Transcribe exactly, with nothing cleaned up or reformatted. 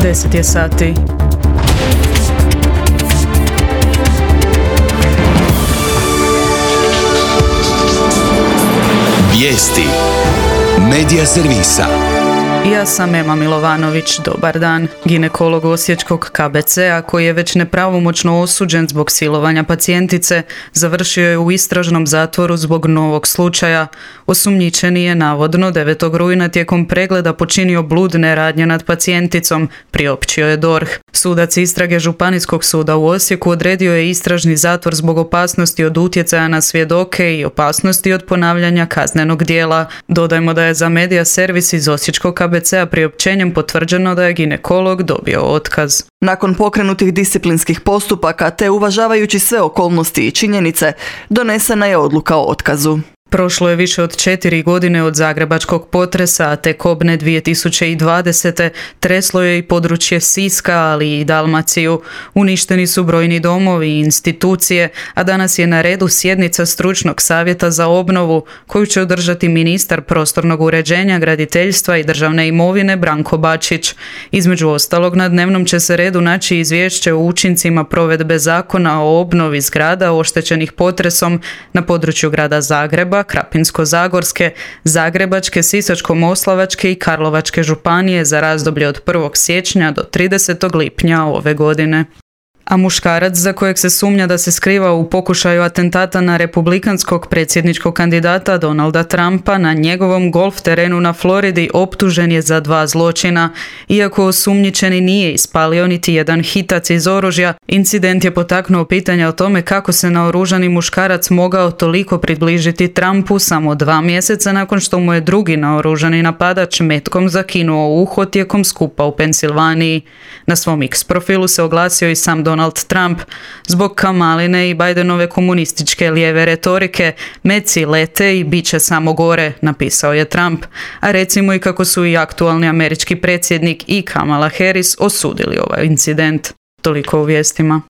deset je sati. Vijesti Medija servisa. Ja sam Ema Milovanović, dobar dan. Ginekolog osječkog K B C-a koji je već nepravomoćno osuđen zbog silovanja pacijentice, završio je u istražnom zatvoru zbog novog slučaja. Osumnjičeni je navodno devetog rujna tijekom pregleda počinio bludne radnje nad pacijenticom, priopćio je D O R H. Sudac istrage Županijskog suda u Osijeku odredio je istražni zatvor zbog opasnosti od utjecaja na svjedoke i opasnosti od ponavljanja kaznenog djela. Dodajmo da je za Medija servis iz osječkog K B C-a priopćenjem potvrđeno da je ginekolog dobio otkaz. Nakon pokrenutih disciplinskih postupaka te uvažavajući sve okolnosti i činjenice, donesena je odluka o otkazu. Prošlo je više od četiri godine od zagrebačkog potresa, a te kobne dvije tisuće dvadesete treslo je i područje Siska, ali i Dalmaciju. Uništeni su brojni domovi i institucije, a danas je na redu sjednica stručnog savjeta za obnovu, koju će održati ministar prostornog uređenja, graditeljstva i državne imovine Branko Bačić. Između ostalog, na dnevnom će se redu naći izvješće o učincima provedbe zakona o obnovi zgrada oštećenih potresom na području grada Zagreba, Krapinsko-zagorske, Zagrebačke, Sisačko-moslavačke i Karlovačke županije za razdoblje od prvog siječnja do tridesetog lipnja ove godine. A muškarac za kojeg se sumnja da se skriva u pokušaju atentata na republikanskog predsjedničkog kandidata Donalda Trumpa na njegovom golf terenu na Floridi optužen je za dva zločina. Iako osumnjičeni nije ispalio niti jedan hitac iz oružja, incident je potaknuo pitanja o tome kako se naoružani muškarac mogao toliko približiti Trumpu samo dva mjeseca nakon što mu je drugi naoružani napadač metkom zakinuo uho tijekom skupa u Pensilvaniji. Na svom X profilu se oglasio i sam Donald Donald Trump. Zbog Kamaline i Bidenove komunističke lijeve retorike, meci lete i bit će samo gore, napisao je Trump. A recimo i kako su i aktualni američki predsjednik i Kamala Harris osudili ovaj incident. Toliko u vijestima.